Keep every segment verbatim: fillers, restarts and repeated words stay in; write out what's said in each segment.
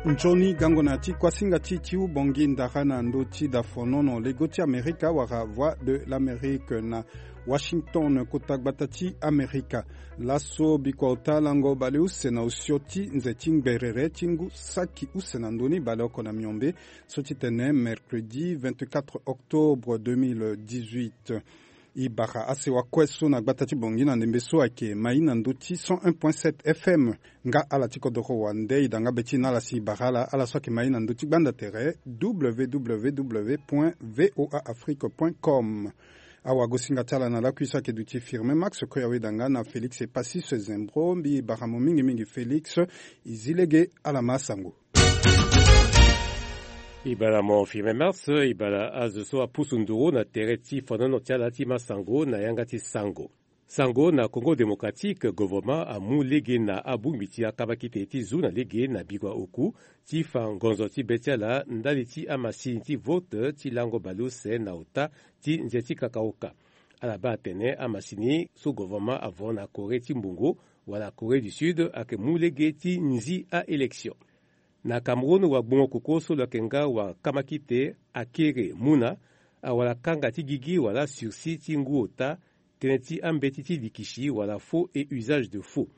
Nzoni gango na ti kuasinga ti ti u bongi ndara na ndö ti dafonono lego ti Amerika wala Voix de l'Amérique na Washington, kota gbata ti Amerika. Laso bikua ota lango baleuse na osio ti nze ti ngberere ti ngu saki use na ndö ni baleoko na miombe, so ti tene mercredi vingt-quatre octobre deux mille dix-huit. E bara asewa kue so na gbata ti bongi na ndembe so ayeke mai na ndö ti cent un point sept F M. Nga ala ti kodoro wande e da nga be ti na ala si e bara ala, ala so ayeke mai na ndö ti gbanda tere, W W W point V O A Afrique point com. Awagosinga ti ala na lakui so ayeke duti Firmin Max, kue awe da nga na Félix Epassis Zembro. Mbi bara mo mingi mingi Félix, e zi lege, ala ma asango. E bara mo Firmin Max, e bara azo so apusu nduru na tere ti fonono ti ala ti ma sango na yanga ti sango. Sango na Congo Démocratique, governement amu lege na abongbi ti akamakite ti zu na lege na bikua oku ti fa ngonzo ti be ti ala ndali ti amasini ti vote ti lango baleuse na ota ti nze ti kakaoka. Ala baa atene amasini so governement avo na Corée ti mbongo wala Corée du Sud ayeke mu lege ti nzi a-élection. Na Cameroun, wagbongo koko so lo yeke nga wakamakite Akere Muna awara kanga ti gigi wala sursis ti ngu ota tënë ti ambeti ti likisi wala faux et usage de faux.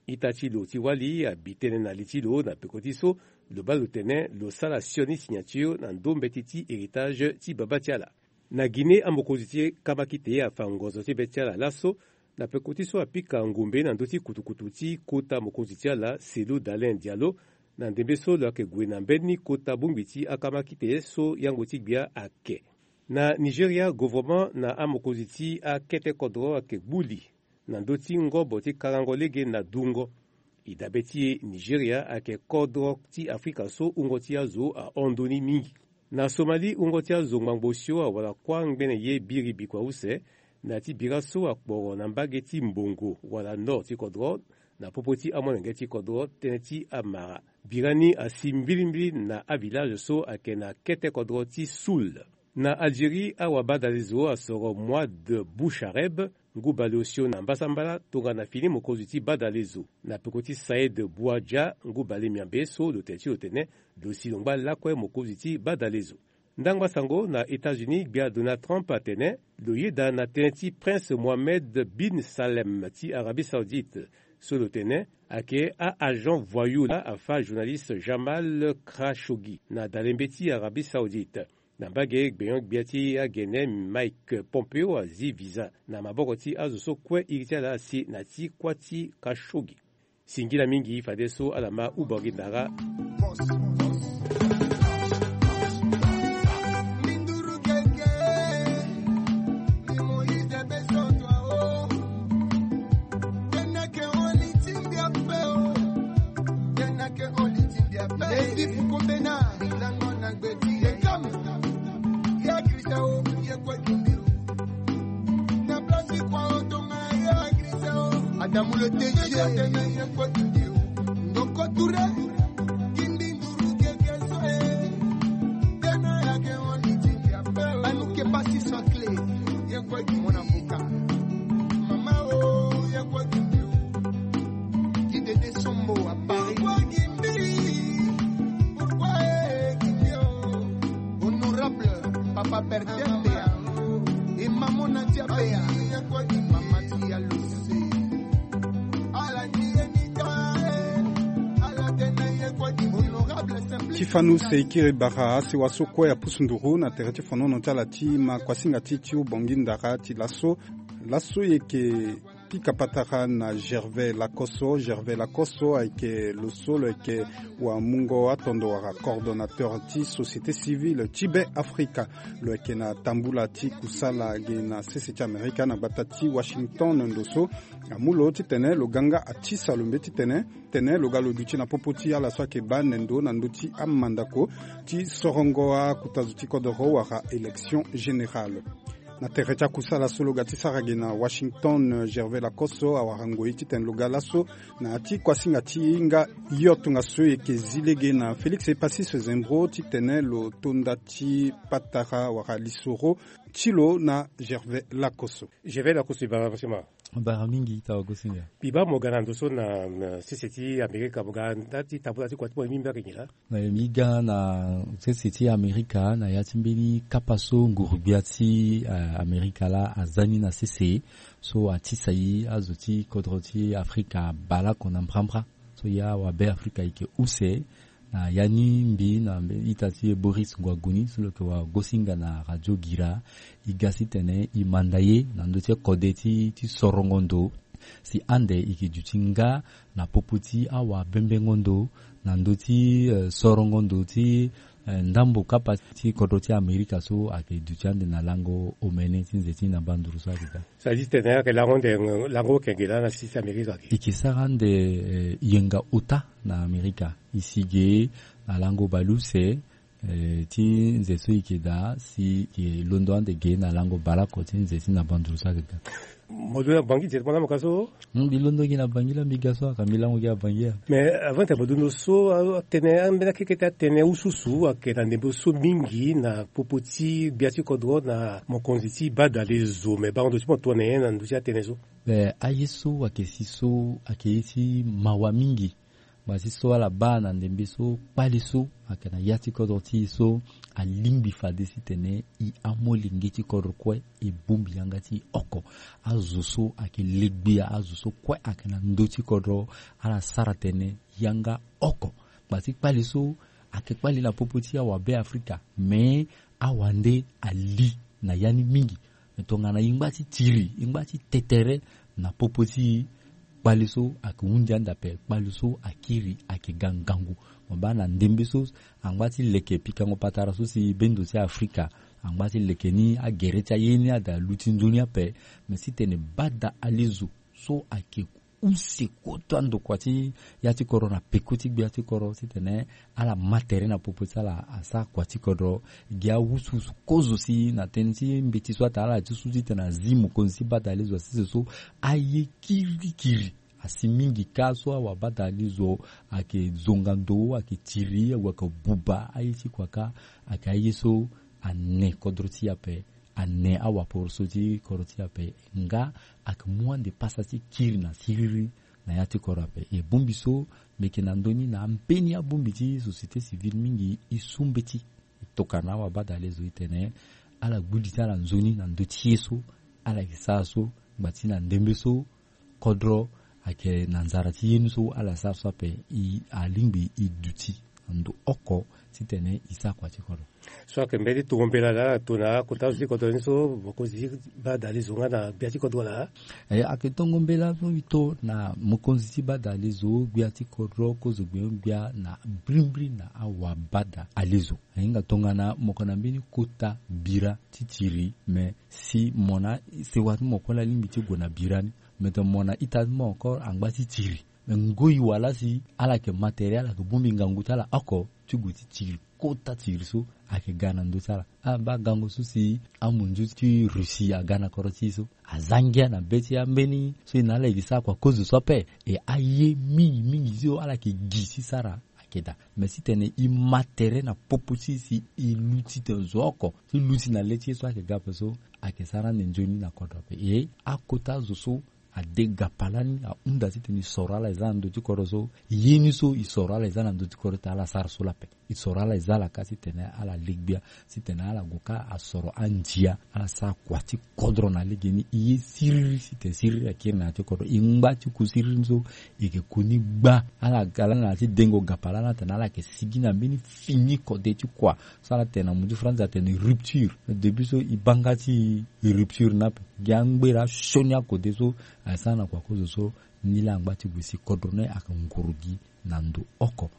Ita ti lo ti wali abi tënë na li ti lo na peko ti so lo baa lo tene lo sara sioni signature na ndo mbeti ti héritage ti babâ ti ala. Na Guinée, amokonzi ti kamakite afa ngonzo ti be ti ala laso na peko ti so apika ngombe na ndö ti kutukutu ti kota mokonzi ti ala Cellou Dalein Diallo, na ndembe so lo yeke gue na mbeni kota bongbi ti akamakite so yango ti gbia ayeke. Na Nigeria, governement na amokonzi ti akete kodro ayeke gbu li na ndö ti ngobo ti karango lege na dungo. E dabe ti e, Nigeria ayeke kodro ti Afrika so wungo ti azo ahon ndoni mingi. Na Somalie, wungo ti azo ngbangbo osio awara kuâ ngbene ye biri bikua use na ya ti bira so akporo na mbage ti mbongo wala nord ti kodro, na popo ti amolenge ti kodro tënë ti amara. Bira ni asi mbilimbili na avillage so ayeke na kete kodro ti Soul. Na Algérie, awabadalezo asoro Mouad Bouchareb, ngu baleosio na mbasambala tongana fini mokonzi ti badalezo, na peko ti Saïd Bouadja, ngu balemiambe so lo tene ti lo tene lo si lo ngba lakue mokonzi ti badalezo. Ndangba sango na États-Unis, gbia Donald Trump atene lo yeda na tënë ti Prince Mohammed bin Salem ti Arabie Saoudite, so lo tene ayeke a-agent voyou la afa journaliste Jamal Khashoggi na dalembe ti Arabie Saoudite. Na mbage gbenyo-gbia ti agene, Mike Pompeo azi visa na maboko ti azo so kue iri ti ala asi na ti kuâ ti Khashoggi. Singila mingi fadeso ala ma ubangi ndara. Adamu le T G. Ndoko Touré. Anuke basi sans clé. Mon avocat. Mama o, Kidede Sombo à Paris. Honorable Papa Bertin Bea et Maman Nadia Bea. Mama Tia Luce. Ti fanu se e kiri bara asewa so kue apusu nduru na tere ti fonono ti ala ti ma kuasinga ti ti u bongi ndara ti laso. Laso e yeke pika patara na Gervais Lakosso. Gervais Lakosso ayeke lo so lo yeke wamungo atondo wala coordonnateur ti société civile ti Be Afrika. Lo yeke na tambula ti kusala ge na sese ti Amerika na gbata ti Washington ndo so amu lo titene lo ga nga ati salombe titene tene lo ga lo duti na popo ti ala so ayeke baa nendo na ndö ti amandako ti sorongo akuta zo ti kodoro wala élection générale. Na tere ti akusala so lo ga ti sara ge na Washington, Gervais Lakosso awara ngoi titene lo ga laso na ya ti kuasinga ti hinga yo tongaso e yeke zi lege na Félix Epassis Zembro titene lo to nda ti patara wala lisoro ti lo na Gervais Lakosso. Gervais Lakosso, e bara facilement. Bara mingi ta wagosinga. Mbi baa mo ga na ndo so na sese ti Amerika, mo ga nda ti tambula ti kua ti mo ye mbi mbi ayeke nyen laa? Na ye mbi ga na sese ti Amerika na ya ti mbeni kapa so nguru-gbia ti Amerika laa aza ni na sese, so atisa e azo ti kodro ti Afrika baleoko na mbrambra. So ya wabe Afrika eke use na ya ni mbi na ita ti e Boris Ngwaguni so lo yeke wagosinga na radio Gira. E ga si tene e manda ye na ndö ti kode ti sorongo ndo si ande e yeke duti nga na popo ti awabembengo ndo na ndö ti sorongo ndo ti ndambo kapa ti kodro ti Amerika so ayeke duti ande na lango omene ti nze ti na banduru so ayeke ga. Sa di tene ayeke lango ande lango okenge laa na sisi Amerika ake. E yeke sara ande yenga ota na Amerika e si ge na lango baleuse ti nze so e yeke daa si e yeke londo ande ge na lango baleoko ti nze ti na banduru so ayeke ga. Mo londo na Bangi directement na mo ka so? Mbi londo gi na Bangi laa mbi ga so aka mbi lango gi na Bangi ya. Mais avant tene mo londo so atene ambeni akekete atene ususu ayeke na ndembe so mingi na popo ti gbia ti kodro na mokonzi ti bada lezo, mais bango ndo ti mo tongana nyen na ndö ti atënë so? Be aye so ayeke si so ayeke ye ti mawa mingi. Ngbasi so ala baa na ndembe so kpale so ayeke na ya ti kodro ti e so alingbi fade si tene e amolenge ti kodro kue e bongbi yanga ti e oko. Azo so ayeke legbia azo so kue ayeke na ndö ti kodro ala sara tene yanga oko. Ngbasi kpale so ayeke kpale na popo ti awabe Afrika, me awande ali na ya ni mingi. Tongana e ngba ti tiri e ngba ti tetere na popo ti kpale so ayeke hunzi ande ape, kpale so akiri ayeke ga ngangu. Mo baa na ndembe so angba ti leke pikango patara so si bendo ti Afrika angba ti leke ni agere ti aye ni ada luti nzoni ape. Me si tene bada alezo so ayeke use kota ndokua ti ya ti kodro na peko ti gbia ti kodro titene ala ma tere na popo ti ala asara kua ti kodro. Gi awusuwusu kozo si na tënë ti mbeti so atene ala ti su titene azi mokonzi ti bada alezo asese so aye kirikiri asi mingi ka so awabada alezo ayeke zonga ndo ayeke tiri awa ayeke buba aye ti kua ka. Ayeke aye so ane kodro ti e ape ane awaporoso ti kodro ti e ape nga ayeke mu ande pasa ti kiri na siriri na ya ti kodro ape. E bongbi so mbi yeke na ndö ni na ambeni abongbi ti société civile mingi e su mbeti e tokana awabada alezo e tene ala gbu li ti ala nzoni na ndö ti ye so ala yeke sara so. Ngba ti na ndembe so kodro ayeke na nzara ti ye ni so ala sara so ape e alingbi e duti na ndo oko titene e sara kua ti kodro. So ayeke mbeni tongo mbela laa ala tongana akota zo ti kodro ni so mokonzi ti bada alezo nga na gbia ti kodro laa. Ayeke tongo mbela so e to na mokonzi ti bada alezo gbia ti kodro kozo gbia gbia na brimbri na awabada alezo. Ahinga tongana mo yeke na mbeni kota bira ti tiri me si mo na sewa ti mo kue laa alingbi ti gue na bira ni. Me tene mo na ita ti mo encore angba ti tiri. Me ngoi wala si ala yeke ma tere ala yeke bongbi ngangu ti ala oko ti gue ti tiri kota tiri so ayeke ga na ndö ti ala. Ala baa gango so si amunzu ti Russie aga na kodro ti e so aza ngia na be ti ambeni so e na ala e ke sara kua kozo so ape. E aye mingi mingi so ala yeke gi ti sara ayeke daa. Me titene e ma tere na popo ti e si e luti tene zo oko ti luti na le ti e so ayeke ga ape so ayeke sara ande nzoni na kodro ape. E akota zo so ade gapalani ahunda titene e soro ala e za na ndö ti kodro so. Ye ni so e soro ala e za na ndö ti kodro titene ala sara so lape. E soro ala e za ala ka titene ala legbia titene ala gue ka asoro andia ala sara kua ti kodro na legeni. E ye siriri titene siriri akiri na ya ti kodro e ngba ti ku siriri ni so. E yeke ku ni gba ala ga lani na ya ti dengo gapalani atene ala yeke sigi na mbeni fini kode ti kua. So ala tene na mu ti France atene rupture. Début so e baa nga ti rupture ni ape. Gi angbera asioni akode so asara na kua kozo so. Ni laa angba ti gue si kodro ni ayeke nguru gi na ndo oko.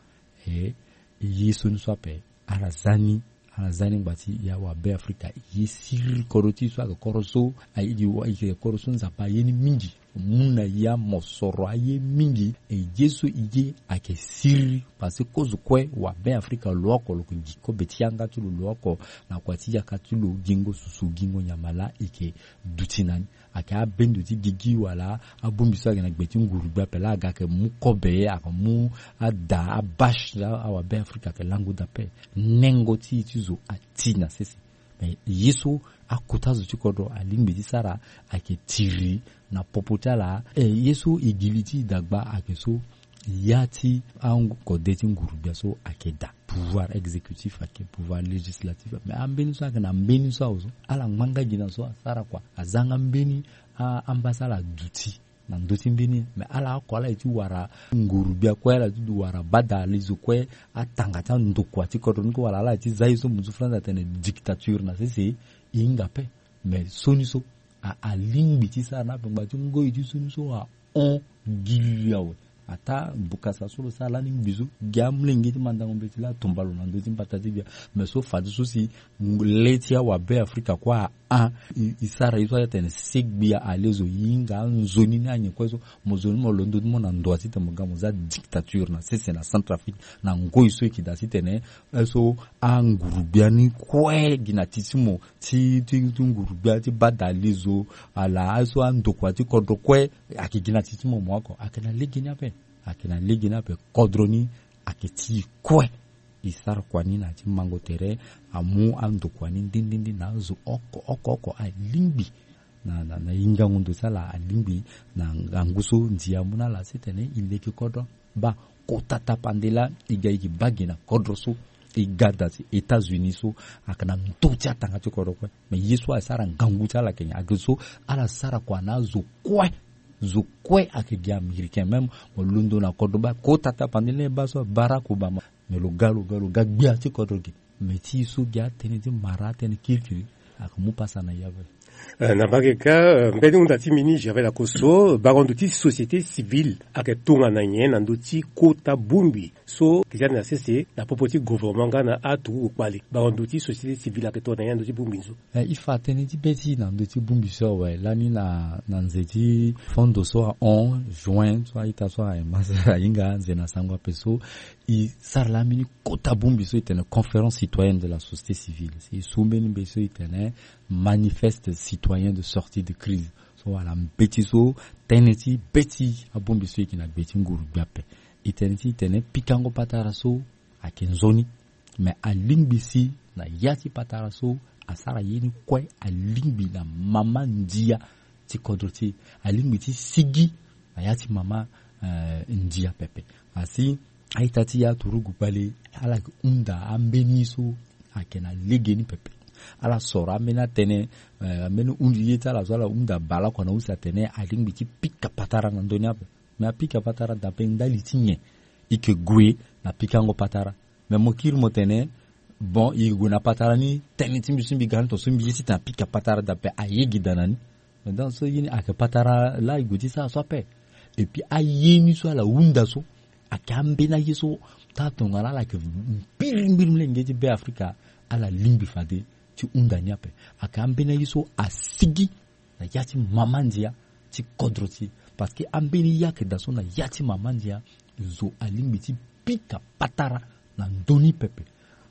E ye so ni so ape ala za ni ala za ni ngba ti e awabe Afrika. E ye siriri kodro ti e so ayeke kodro so ayeke kodro so Nzapa aye ni mingi. Mu na e amosoro aye mingi. E ye so e ye ayeke siriri parce que kozo kue wabe Afrika lo oko lo yeke gi kobe ti yanga ti lo lo oko na kua ti yaka ti lo gingo susu gingo nyama laa e yeke duti na ni. Ayeke abendo ti gigi wala abongbi so ayeke na gbe ti nguru gbe ape laa aga ayeke mu kobe ayeke mu ada abashe awabe Afrika ayeke lango daa ape. Nengo ti e ti zo ati na sese. Me ye so akota zo ti kodro alingbi ti sara ayeke tiri Na popo ti ala, eh, ye so e gi li ti e dagba ayeke so, ya ti akode ti nguru-gbia so ayeke daa. Pouvoir exécutif ayeke, pouvoir législatif, mais ambeni so ayeke na mbeni so awe so, ala ngbanga gi na so asara kua, azanga mbeni a- amba so ala duti na ndö ti mbeni. Mais ala oko ala ye ti wara nguru-gbia kue, ala ye ti wara bada lizo kue, atanga ti andokua ti kodro ni kue, wala ala ye ti za ye so, mo zu France atene dictature na sese, e hinga ape. Mais sioni so a- alingbi ti sara na ape ngbanga ti ngoi ti sioni so ahon gi li awe. Ataa bukasa so lo sara lani ngbi so, gi amolenge ti mandango mbeti laa atumba lo na ndö ti mbata ti gbia. Mais so fadeso si le ti awabe Afrika kue ahon, e- e sara ye so atene segbi alezo, e hinga anzoni ni anyen kue so, mo zo ni mo londo ti mo na ndoa titene mo ga mo za dictature na sese na Centrafrique, na ngoi so e yeke daa titene, eh, so anguru-gbia ni kue gi na ti ti mo, ti, ti, ti nguru-gbia ti bada lizo, ala, eh, so andokua ti kodro kue, ayeke gi na ti ti mo mo oko, ayeke na lege ni ape, ayeke na lege ni ape, kodro ni ayeke ti e kue. E sara kua ni na ya ti mango tere, amu andokua ni nde nde nde na azo oko oko oko alingbi na, na, na hingango ndo ti ala alingbi na ngangu so ndia amu na ala titene e leke kodro. Baa, kota tapande laa e ga e yeke baa gi na kodro so, e ga daa ti États-Unis so, ayeke na ndö ti atanga ti kodro kue. Mais ye so asara ngangu ti ala ayeke nyen? Ayeke so ala sara kua na azo kue. Zo kue ayeke gi Américain même. Mo londo na kodro baa, kota tapande laa e baa so Barack Obama. Mais lo ga, lo ga, lo ga gbia ti kodro ge. Mais ti e so gi atënë ti mara, atënë kirikiri, ayeke mu pasa na e ape. Eh, na mbage kâ, eh, mbeni hunda ti mbi ni Gervais Lakosso, bango ndo ti société civile ayeke tongana nyen na ndö ti kota bongbi so ayeke za na sese na popo ti gouvernement nga na aturugu kpale? Bango ndo ti société civile ayeke tongana nyen na ndö ti bongbi ni so? Eh, e fa tënë ti be ti e na ndö ti bongbi so awe, lani na, na nze ti fondo so ahon, juin so, a-ita so ayeke ma so ahinga nze na sango ape so, e sara laa mbeni kota bongbi so e tene conférence citoyenne de la société civile. Si e su mbeni mbeti so e tene manifeste citoyen de sortie de crise. So wala mbeti so tënë ti be ti abongbi so e yeke na gbe ti nguru-gbia ape. E tene ti e tene pikango patara so ayeke nzoni. Mais alingbi si na ya ti patara so asara ye ni kue alingbi na mama ndia ti kodro ti e, alingbi ti sigi na ya ti mama, eh, ndia pepe. Asi a-ita ti e aturugu kpale, ala yeke hunda ambeni so ayeke na legeni pepe. Ala soro ambeni atënë, eh, ambeni hunzi ye ti ala so ala hunda bale oko na use atene alingbi ti pika patara na ndö ni ape. Mais apika patara dape ndali ti nyen? E yeke gue na pikango patara. Mais mo kiri mo tene, bon, e gue na patara ni, tënë ti mbi so mbi ga ni tongaso mbi ye titene apika patara dape, aye gi daa na ni. Mais donc so ye ni ayeke patara laa e gue ti sara so ape. Et puis aye ni so ala hunda so ayeke ambeni aye so taa tongana ala yeke mbirimbiri molenge ti Be Afrika, ala lingbi fade ti hunda ni ape. Ayeke ambeni aye so asigi na ya ti mama ndia ti kodro ti e. Parce que ambeni ye ayeke daa so na ya ti mama ndia, zo alingbi ti pika patara na ndö ni pepe.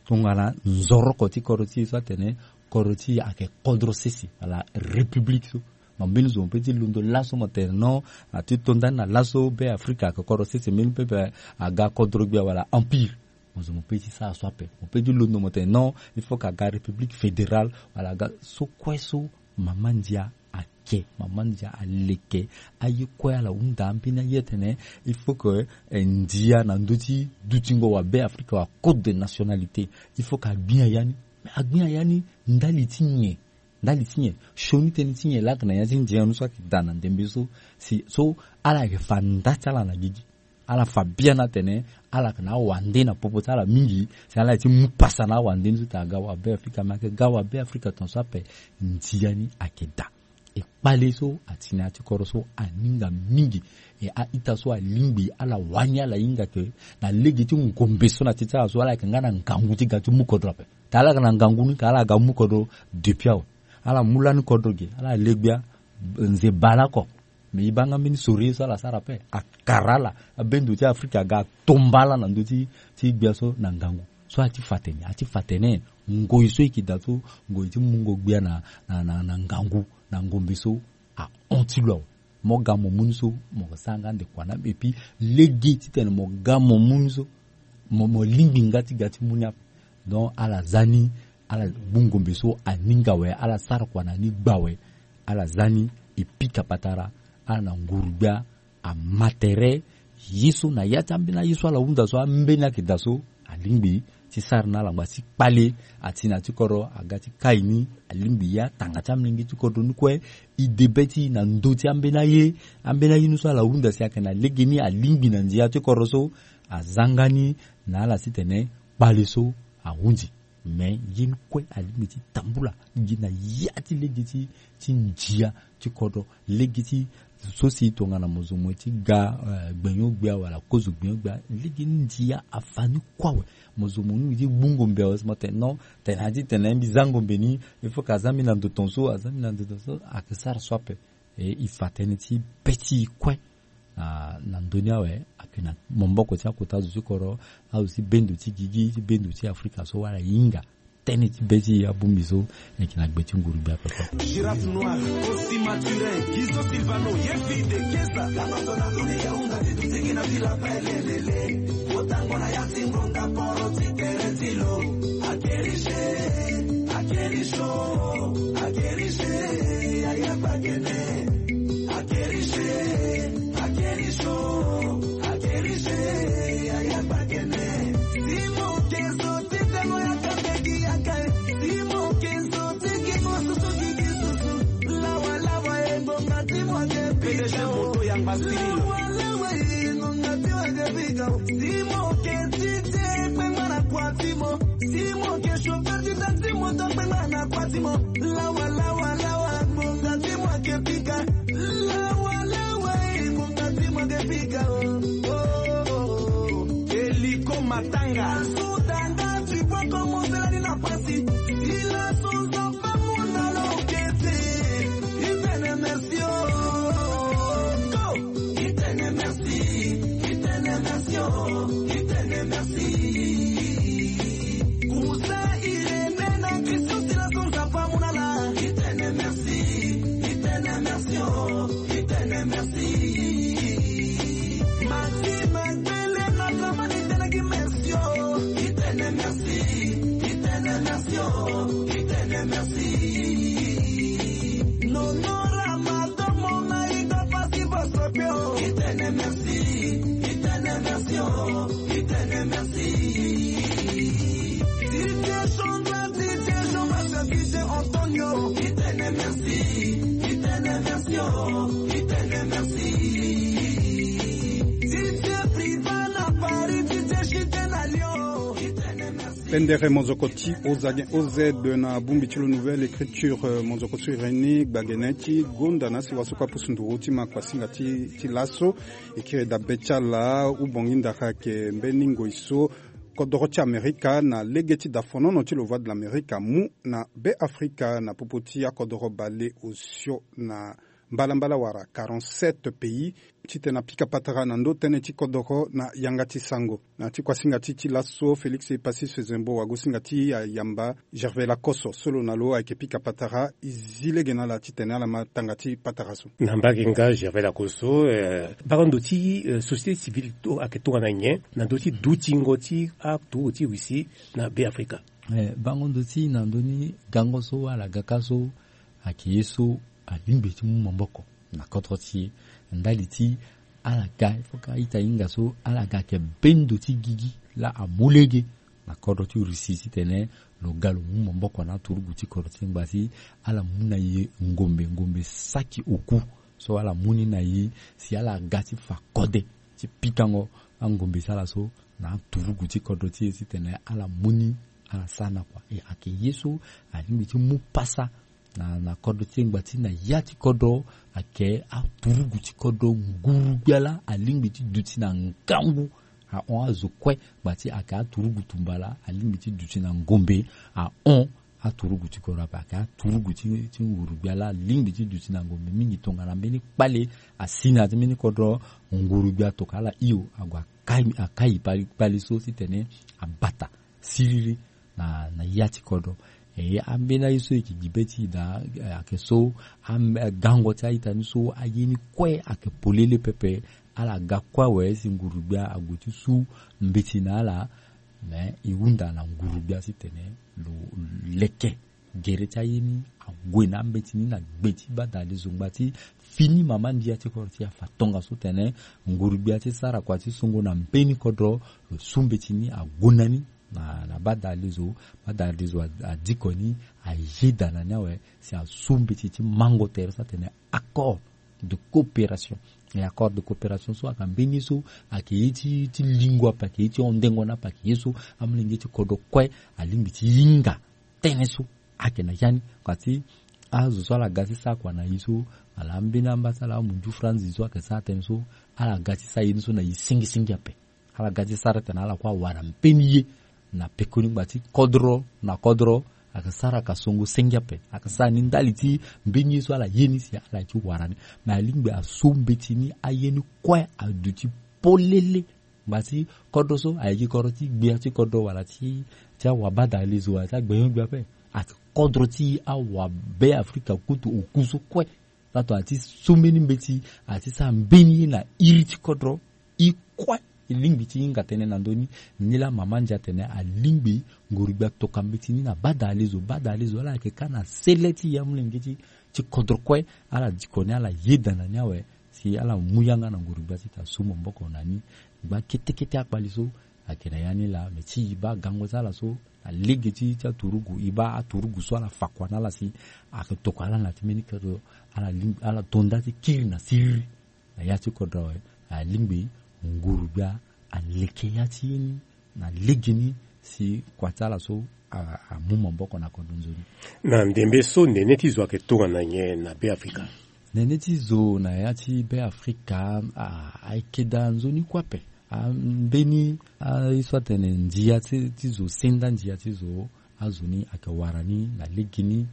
Tongana nzoroko ti kodro ti e so atene kodro ti e ayeke kodro sese wala république so. Mo mbeni zo mo pe ti londo laso mo tene non, na ti to ndani na laso Be Afrika ayeke kodro sese, mbeni pepe aga kodro gbia wala empire. Mo zo mo pe ti sara so ape. Mo pe ti londo mo tene non, il faut ka ga république fédérale wala ga so kue so. Mama ndia ake, mama ndia aleke. Aye kue ala hunda ambeni aye atene il faut que, eh, ndia na ndö ti dutingo wa Be Afrika wa code de nationalité, il faut que agbia ya ni. Mais agbia ya ni ndali ti nyen? Ndali ti nyen? Sioni tënë ti nyen laa ayeke na ya ti ndia ni so ayeke daa na ndembe so? Si so ala yeke fa nda ti ala na gigi. Ala fa biani atene ala yeke na awande na popo ti ala mingi, si ala ye ti mu pasa na awande ni so tene aga wa Be Afrika, me ayeke ga wa Be Afrika tongaso ape. Ndia ni ayeke daa. E kpale so ati na ya ti kodro so aninga mingi. E a-ita so alingbi ala wani ala hinga ke na lege ti ngombe so na ti ti ala so ala yeke nga na ngangu ti ga ti mu kodro ape. Tene ala yeke na ngangu ni, tene ala ga mu kodro depuis awe. Ala mu lani kodro ge, ala le gbia nze bale oko. Mais e baa nga mbeni sori ye so ala sara ape, akara ala, abendo ti Afrika aga atomba ala na ndö ti, ti gbia so na ngangu. So ati fa tene, ati fa tene ngoi so e yeke daa so, ngoi ti mungo gbia na, na, na, na ngangu, na ngombe so, ahon ti lo awe. Mo ga mo mu ni so, mo sara nga ndekua na, et puis lege titene mo ga mo mu ni so, mo, mo lingbi nga ti ga ti mu ni ape. Donc ala za ni, ala gbu ngombe so aninga awe, ala sara kua na ni gba awe. Ala za ni, e pika patara ala na nguru-gbia ama tere. Ye so na ya ti ambeni aye so ala hunda so ambeni ayeke daa so alingbi ti sara na ala ngba ti kpale. Ati na ti kodro aga ti kai ni alingbi ye atanga ti amolenge ti kodro ni kue. E de be ti e na ndö ti ambeni aye, ambeni aye ni so ala hunda si ayeke na legeni alingbi na ndia ti kodro so aza nga ni na ala titene kpale so ahundi. Me ye ni kue alingbi ti tambula gi na ya ti lege ti ti ndia ti kodro. Lege ti so si tongana mo zo mo ye ti ga eh, gbenyo-gbia wala kozo gbenyo-gbia, lege ni ndia afa ni kue awe. Mo zo mo ningbi ti gbu ngombe awe si mo tene non, tene na ya ti tene mbi za ngombe ni. Il faut que aza mbi na ndo tongaso, aza mbi na ndo tongaso, ayeke sara so ape. E e fa tënë ti be ti e kue. Na na ndö ni awe ayeke na maboko ti akota zo ti kodro, azo ti bendo ti gigi ti bendo ti Afrika so wala e hinga tënë ti be ti e abongbi so. Ayeke na gbe ti nguru-gbia pepe. Girafe noir, Kosi Mathurin, Guizo Silvano, Yefi de Kesa. Tango so na ndoni ya hunga ti duti gi na vila pele lele. Kotango na ya ti ngonda poro ti tere ti lo. Akerishe, akerisho, akerishe, ya ya bakene. Akerishe, akerisho, akerishe, ya ya bakene. Simo keso ti tengo ya kambeki ya kai. Simo keso ti gi mo susu gi gi susu. Lawa lawa e ngonga ti mo ake pika o. Lawa lawa e ngonga ti mo ake pika o. Simo ke ti te kpengba na kua ti mo. Simo ke chauffeur ti taxi moto kpengba na kua ti mo. Lawa lawa lawa ngonga ti mo ake pika. Lawa lawa e ngonga ti mo ake pika o. Oh, oh, oh. Eliko matanga. Sudanga tu peux commencer la ni na pasi. Sila suza pa munda lo kete. Itene merci o. Go. Itene merci, itene merci o, itene merci. Kusa Irene na Christian sila so nzapa amu na ala. Itene merci, itene merci o, itene merci. Maxime Gbele na Dramane itene gi merci o. Itene merci, itene merci o, itene merci. Nonora Matomo na Ida Pasi Bosopio. Itene merci, itene merci o, itene merci. Didier Chandra, Didier Jean Marc, Didier Antonio. Itene merci, itene merci o, itene merci. Didier Priva na Paris, Didier Chite na Lyon. Itene merci. Pendere mozoko ti Ozagen O Z na bongbi ti lo Nouvelle Écriture, eh, mozoko so e reni gbagene ti gonda na si wasoko apusu nduru ti ma kuasinga ti, ti laso. E kiri dabe ti ala, Ubongi Ndara ayeke mbeni ngoi so kodoro ti Amerika na lege ti dafonono ti lo Voix de l'Amérique amu na Beafrika na popo ti akodoro bale osio na mbalambala wala quarante-sept pays. Titene apika patara na ndo tënë ti kodoro na yanga ti sango. Na ti kuasinga ti ti laso Félix Epassis Zembo wagosinga ti ayamba Gervais Lacoste so lo na lo ayeke pika patara. E zi lege na ala titene ala ma tanga ti patara so. Na mbage nga Gervais Lacoste so, eh, bango ndo ti, eh, société civile to ayeke tongana nyen na ndo ti dutingo ti aturugu ti Russie na Beafrika? Eh, bango ndo ti na ndö ni gango so ala ga ka so ayeke ye so alingbi ti mu maboko na kodro ti e. Ndali ti ala ga, il faut que a-ita hinga so ala ga ayeke bendo ti gigi laa amu lege na kodro ti Russie titene lo ga lo mu maboko na aturugu ti kodro ti e ngba si ala mu na e ngombe, ngombe saki oku so ala mu ni na e si ala ga ti fa kode ti pikango angombe ti ala so na aturugu ti kodro ti e titene ala mu ni, ala sara na kua. E ayeke ye so alingbi ti mu pasa na, na kodro ti e ngba ti na ya ti kodro ayeke aturugu ti kodro nguru-gbia laa alingbi ti duti na ngangu. Ahon azo kue ngba ti ayeke aturugu tumba laa alingbi ti duti na ngombe. Ahon aturugu ti kodro ape ayeke aturugu ti, ti nguru-gbia laa alingbi ti duti na ngombe mingi tongana mbeni kpale asi na ya ti mbeni kodro nguru-gbia tokua ala hio ague akai, akai kpale, kpale so titene abata siriri na, na ya ti kodro. E, ambeni aye so e yeke gi be ti e daa, e, ayeke so, am-, gango ti a-ita ni so aye ni kue ayeke polele pepe. Ala ga kue awe si nguru-gbia ague ti su mbeti na ala. Me e hunda na nguru-gbia titene lo leke Gere ti aye ni ague na ambeti ni na gbe ti bada alezo ngba ti fini mama ndia ti kodro ti e afa tongaso tene nguru-gbia ti sara kua ti songo na mbeni kodro lo su mbeti ni ague na ni na, na bada alezo. Bada alezo a, adiko ni ayeda na ni awe si asu mbeti ti mango tere so atene accord de coopération. E accord de coopération so ayeke mbeni ye so ayeke ye ti, ti lingo ape, ayeke ye ti hondengo ni ape, ayeke ye so amolenge ti kodro kue alingbi ti hinga tënë so ayeke na ya ni. Kua ti azo so ala ga ti sara kua na e so, ala ambeni amba ti ala amundu franzi so ayeke sara tënë so, ala ga ti sara ye ni so na e singisingi ape. Ala ga ti sara tene ala kue awara mbeni ye na pekoni ngba ti kodro na kodro. Ayeke sara ka songo senge ape, ayeke sara ni ndali ti mbeni ye so ala ye ni si ala ye ti wara ni. Me alingbi asu mbeti ni aye ni kue aduti polele. Ngba ti kodro so ayeke kodro ti gbia ti kodro wala ti, ti awabada alezo wala ti agbenyo-gbia ape. Ayeke kodro ti awabe afrika kutu oku so kue. Ato ati so mbeni mbeti, ati sara mbeni ye na iri ti kodro. I kue i lingbi ti hinga tënë na ndö ni. Nilaa mama ndia atene alingbi nguru-gbia toka mbeti ni na bada alezo. Bada alezo ala yeke ka na sele ti ya molenge ti, ti kodro kue. Ala diko ni, ala yeda na ni awe si ala mu yanga na nguru-gbia ti ta su maboko na ni. Ngba kete kete akpali so ayeke na ya ni laa. Me ti e baa gango ti ala so na lege ti, ti aturugu, e baa aturugu so ala fa kua na ala si ayeke tokua ala na ti mbeni kodro. Ala lingbi, ala to nda ti kiri na siriri na ya ti kodro awe. Alingbi nguru-gbia aleke ya ti ye ni na legeni si kua ti ala so a, amu maboko na kodro nzoni. Na ndembe so nene ti zo ayeke tongana nyen na Be Afrika? Nene ti zo na ya ti Be Afrika, a, ayeke daa nzoni kue ape. A, mbeni, a, ye so atene ndia ti, ti zo, senda ndia ti zo, azo ni ayeke wara ni na legeni.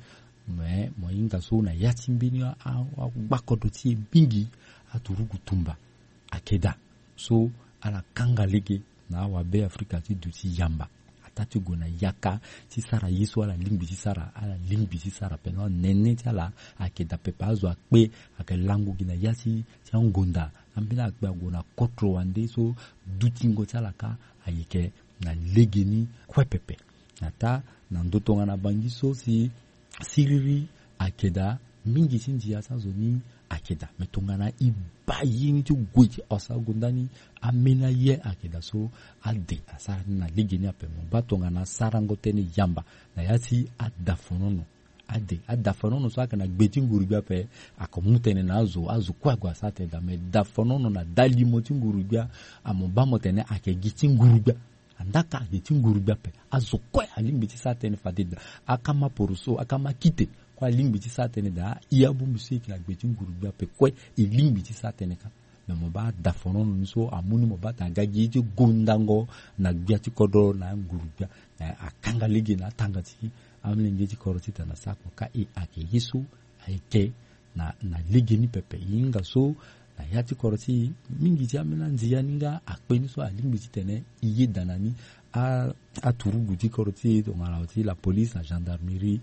Me mo hinga so na ya ti mbeni a, a, agbakodro ti e mingi, aturugu tumba ayeke daa. So ala kanga lege na awabe afrika ti duti yamba. Ataa ti gue na yaka ti sara ye so ala lingbi ti sara, ala lingbi ti sara pendant nene ti ala ayeke daa pepe. Azo akpe ayeke lango gi na ya ti, ti angonda. Ambeni akpe ague na kotro wande so dutingo ti ala kâ ayeke na legeni kue pepe. Ataa na ndo tongana bangi so si siriri ayeke daa, mingi ti ndia ti azo ni ayeke daa. Me tongana e baa ye ni ti gue ti osa gonda ni, ambeni aye ayeke daa so ade asara ni na legeni ape. Mo baa tongana sarango tënë yamba na ya ti adafonono. Ade, adafonono so ayeke na gbe ti nguru-gbia ape, ayeke mu tënë na azo, azo kue ague asara tënë daa. Me dafonono na dalimo ti nguru-gbia, amo baa mo tene ayeke gi ti nguru-gbia. Andaka ayeke ti nguru-gbia ape. Azo kue alingbi ti sara tënë fade daa. Akama poroso, akama kite kue alingbi ti sara tënë daa. I abongbi so e yeke na gbe ti nguru-gbia ape kue e lingbi ti sara tënë kâ. Me mo baa dafonono ni so amu ni mo baa tene aga gi ye ti gondango na gbia ti kodro na nguru-gbia. Eh, akanga lege na atanga ti amolenge ti kodro titene asara kua kâ. E ayeke ye so ayeke na, na legeni pepe. E hinga so na ya ti kodro ti e, mingi ti ambeni andia ni nga akpe ni so alingbi titene e yeda na ni. A, aturugu ti kodro ti e tongana ti la police, la gendarmerie,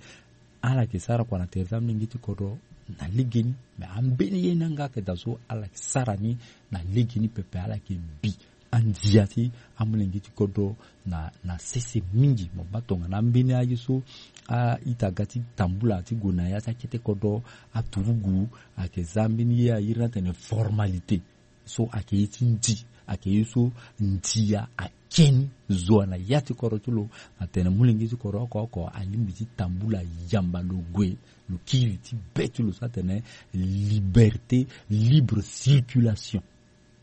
ala yeke sara kua na tere ti amolenge ti kodro na legeni. Me ambeni ye ni yanga ayeke daa so ala yeke sara ni na legeni pepe. Ala yeke bi andia ti amolenge ti kodro na, na sese mingi. Mo baa tongana ambeni aye so a-ita aga ti tambula ti gue na ya ti akete kodro, aturugu ayeke za mbeni ye airi ni atene formalité. So ayeke ye ti ndi, ayeke ye so ndia ake ni zo na ya ti kodro ti lo. Atene molenge ti kodro oko oko alingbi ti tambula yamba, lo gue, lo kiri ti be ti lo so atene liberté, libre circulation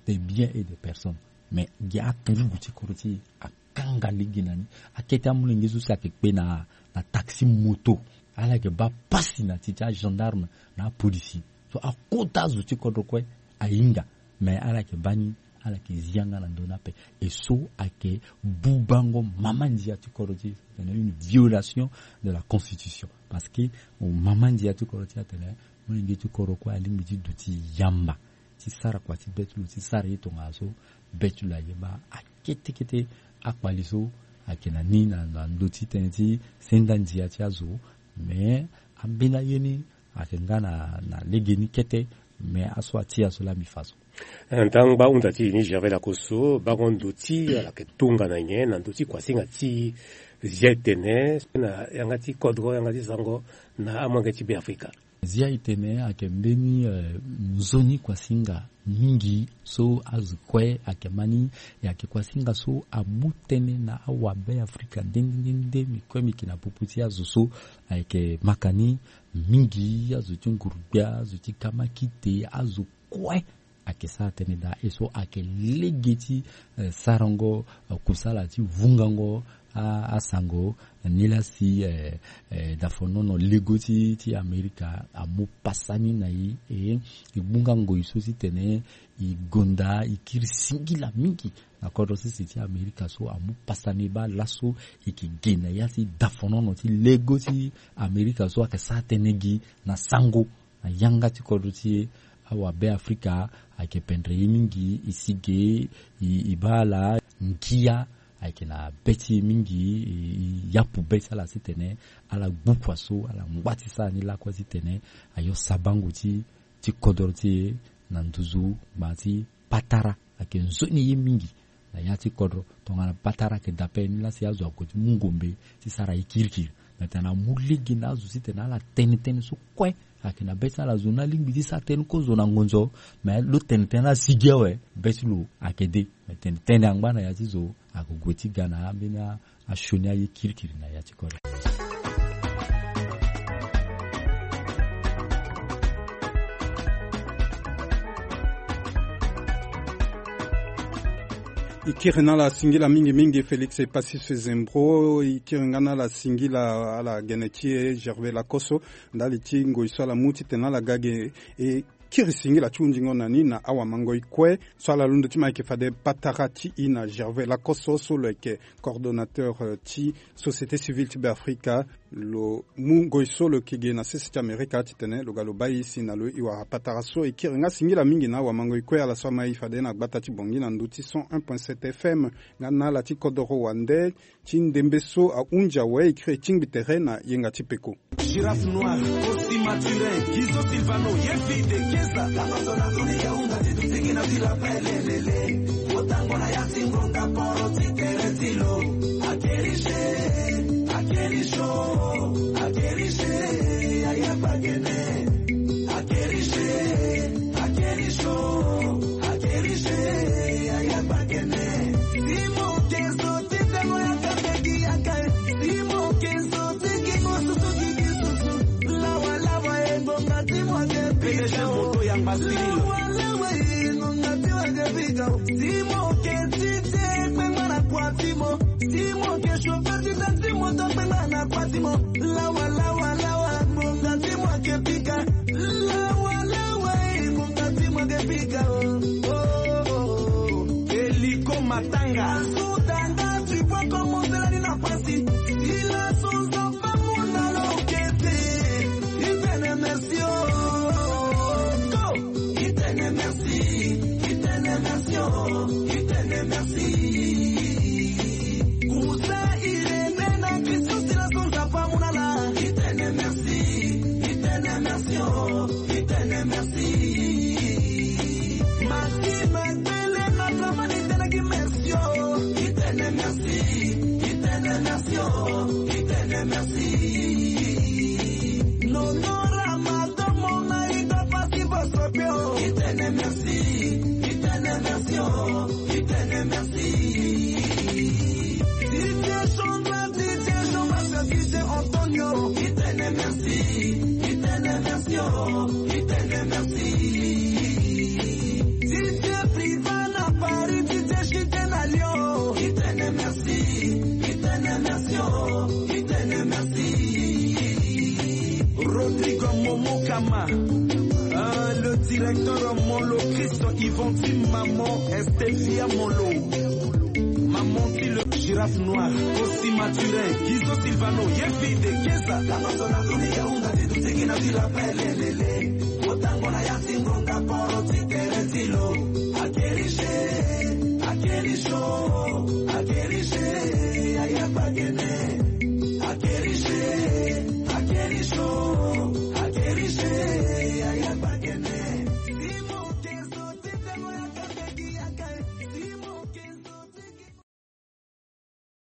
des biens et des personnes. Mais gi aturugu ti kodro ti e akanga lege na ni. Akete amolenge so si ayeke kpe na, na taxi moto, ala yeke baa pasi na ti, ti agendarme na apolisi. So akota azo ti kodro kue ahinga. Mais ala yeke baa ni, ala yeke zi yanga na ndö ni ape. E so ayeke bubango mama ndia ti kodro ti e, une violation de la constitution. Parce que mama ndia ti kodro ti e atene molenge ti kodro kue alingbi ti duti yamba ti sara kua ti be ti lo, ti sara ye tongana so be ti lo aye baa. Akete kete akpali so ayeke na ni na, na ndö ti tënë ti senda ndia ti azo. Mais ambeni aye ni ayeke nga na, na legeni kete. Mais aso atia so laa mbi fa so. Ntango baa hunda ti e ni Gervais Lakosso, bango ndö ti ala yeke tongana nyen na ndö ti kuasinga ti zia etene na yanga ti kodro, yanga ti sango na amolenge ti Beafrika? Zia etene ayeke mbeni, eh, nzoni kuasinga mingi so azo kue ayeke ma ni, e ayeke kuasinga so amu tënë na awabeafrika nde nde nde nde. Mi kue mi yeke na popo ti azo so ayeke maka ni mingi, azo ti nguru-gbia, azo ti kamakite, azo kue ayeke sara tënë daa. E so ayeke lege ti, eh, sarango, eh, kusala ti vungango a, asango. Nilaa si, eh, eh, dafonono lego ti, ti Amerika amu pasa ni na e, e, e gbunga ngoi so titene e gonda e kiri singila mingi na kodro sese ti Amerika so amu pasa ni baa laso e yeke ge na ya ti dafonono ti lego ti Amerika so ayeke sara tënë gi na sango na yanga ti kodro ti e. Awabeafrika ayeke pendre ye mingi, e si ge, e, e baa ala ngia ayeke na be ti e mingi, e, e yapu be ti ala titene ala gbu kua so, ala ngba ti sara ni lakue titene ayo sabango ti, ti kodro ti e na nduzu gbaa ti patara. Ayeke nzoni ye mingi na ya ti kodro. Tongana patara ayeke dape ni laa si azo ague ti mu ngombe ti sara ye kirikiri. Me tongana amu lege na azo titene ala tene tënë so kue ayeke na be ti ala zo ni alingbi ti sara tënë kozo na ngonzo. Me lo tene tënë asigi awe, be ti lo ayeke de. Me tene tënë angba na ya ti zo ayeke gue ti ga na ambeni a asioni aye kirikiri na ya ti kodro. E kiri na ala singila mingi mingi Félix Epasis Zembro. E kiri nga na ala singila ala gene ti e Gervais Lakosso ndali ti ngoi so ala mu titene ala ga ge e kiri singila ti hundingo na ni na awamangoi kue. So ala londo ti ma ayeke fade patara ti e na Gervais Lakosso so lo yeke coordonnateur, euh, ti société civile ti Beafrika. Lo mu ngoi so lo yeke ge na sese ti Amerika titene lo ga lo baa e si na lo e wara patara so. E kiri nga singila mingi na awamangoi kue ala so ama e fade na gbata ti Bangui na ndö ti cent un point sept F M nga na ala ti kodoro wande. Ti ndembe so ahunzi awe, e kiri e tingbi tere na yenga ti peko. Girafe noir, Costi Mathurin, Guizo Silvano, Yefi de Keza. P D G moto yamba sirilo. Simo ke tite kpengba na kua ti mo. Simo ke chauffeur ti taxi moto kpengba na kua ti mo. Lawa, lawa, lawa, ngonga ti mo ake pika. Lawa, lawa, eh, ngonga ti mo ake pika, oh, oh, oh. Eliko Matanga. Sutanga, tu vois comment cela ni na pasi. Sila sonza pamu na lokete. Itene merci, oh, oh, oh. Itene merci, itene merci, oh, itene merci. Kusa irene na Kristo sila sonza pamu na la. Itene merci, itene merci, oh, itene merci. Maxime Bele na Dramani itene ki merci, oh, itene merci, itene merci, oh, itene merci. Nonora Matomo na Ida Pasi Bosopio. Itene merci, itene merci, oh, itene merci. Didier Chandra, Didier Jean-Marc, Didier Antonio. Itene merci, itene merci, oh, itene merci. Didier Priva na Paris, Didier Chite na Lyon. Itene merci, itene merci, oh, itene merci. Rodrigo Momokama, ah, le directeur Molo Christ Yvon Tim, maman Estefia Molo, maman Tim le Girafe Noir, Costi Mathurin, Guizo Silvano, Yefi de Keza.